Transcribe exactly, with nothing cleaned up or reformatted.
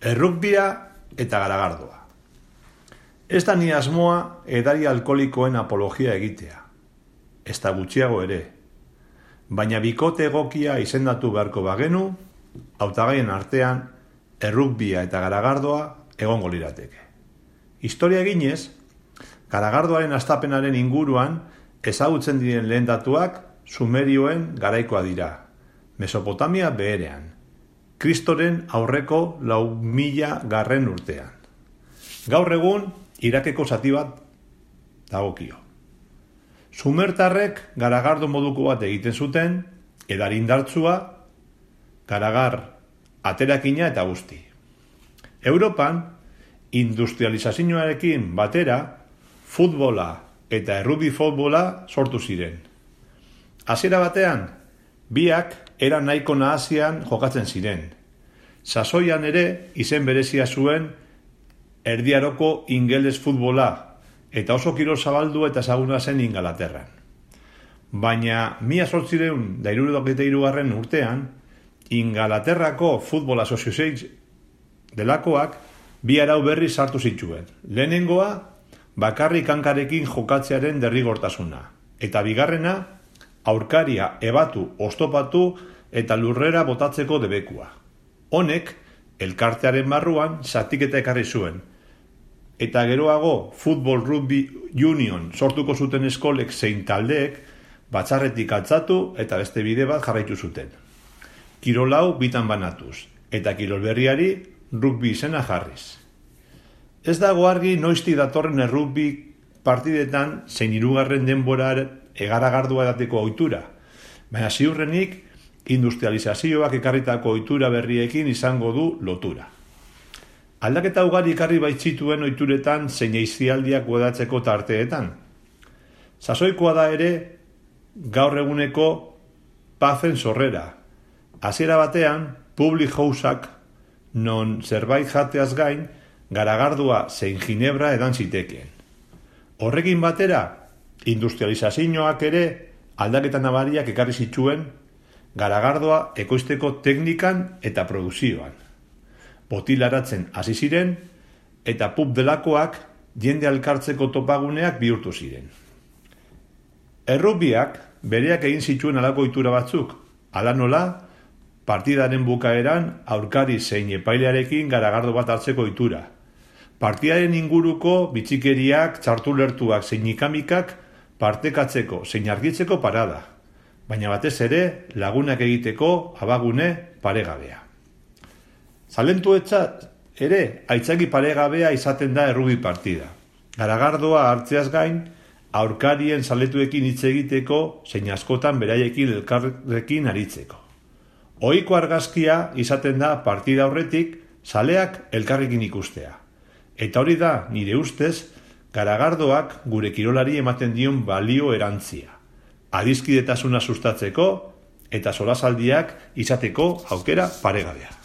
errugbia eta garagardoa. Ez da ni asmoa edari alkoholikoen apologia egitea, ez da gutxiago ere, baina bikote egokia izendatu beharko bagenu, hautagaien artean errugbia eta garagardoa egongo lirateke. Historia eginez, garagardoaren hastapenaren inguruan ezagutzen diren lehen datuak Sumerioen garaikoa dira, Mesopotamia beherean, Kristoren aurreko lau mila garren urtean. Gaur egun, Irakeko zati bat dagokio. Sumertarrek garagardo moduko bat egiten zuten, edari indartsua, garagar, aterakina eta guzti. Europan, industrializazioarekin batera, futbola eta errugbi futbola sortu ziren. Hasiera batean, biak era nahiko nahasian jokatzen ziren. Sasoian ere izen berezia zuen erdiaroko ingeles futbola, eta oso kirol zabaldu eta ezaguna zen Ingalaterran. Baina mila zortziehun eta hirurogeita hirugarren urtean, Ingalaterrako Football Association delakoak bi arau berri sartu zituen. Lehenengoa, bakarrik hankarekin jokatzearen derrigortasuna, eta bigarrena, aurkaria ebatu, oztopatu eta lurrera botatzeko debekua. Honek, elkartearen barruan zatiketa ekarri zuen, eta geroago Football Rugby Union sortuko zuten eskolek zein taldeek batzarretik altzatu eta beste bide bat jarraitu zuten. Kirol hau bitan banatuz, eta kirol berriari rugby izena jarriz. Ez dago argi noizti datorren errugbi partidetan zein hirugarren denbora egaragardua edateko ohitura, baina ziurrenik industrializazioak ekarritako ohitura berriekin izango du lotura. Aldaketa ugari ekarri baitzituen ohituretan zein aisialdiak guadatzeko tarteetan. Sasoikoa da ere gaur eguneko pazen sorrera. Hasiera batean, public houseak non zerbait jateaz gain, garagardua zein ginebra edan zitekeen. Horrekin batera, industrializazioak ere aldaketa nabariak ekarri zituen garagardoa ekoizteko teknikan eta produkzioan. Botilaratzen hasi ziren eta pub delakoak jende alkartzeko topaguneak bihurtu ziren. Errugbiak bereak egin zituen halako ohitura batzuk, hala nola, partidaren bukaeran aurkari zein epailearekin garagardo bat hartzeko ohitura. Partidaren inguruko bitxikeriak, txartulertuak zein ikamikak partekatzeko zein argitzeko parada, baina batez ere lagunak egiteko abagune paregabea. Zalentuetzat ere aitzaki paregabea izaten da errugbi partida. Garagardoa hartzeaz gain, aurkarien zaletuekin hitz egiteko zein askotan beraiekin elkarrekin aritzeko. Ohiko argazkia izaten da partida horretik zaleak elkarrekin ikustea. Eta hori da, nire ustez, garagardoak gure kirolari ematen dion balio erantzia. Adiskidetasuna sustatzeko eta solasaldiak izateko aukera paregabea.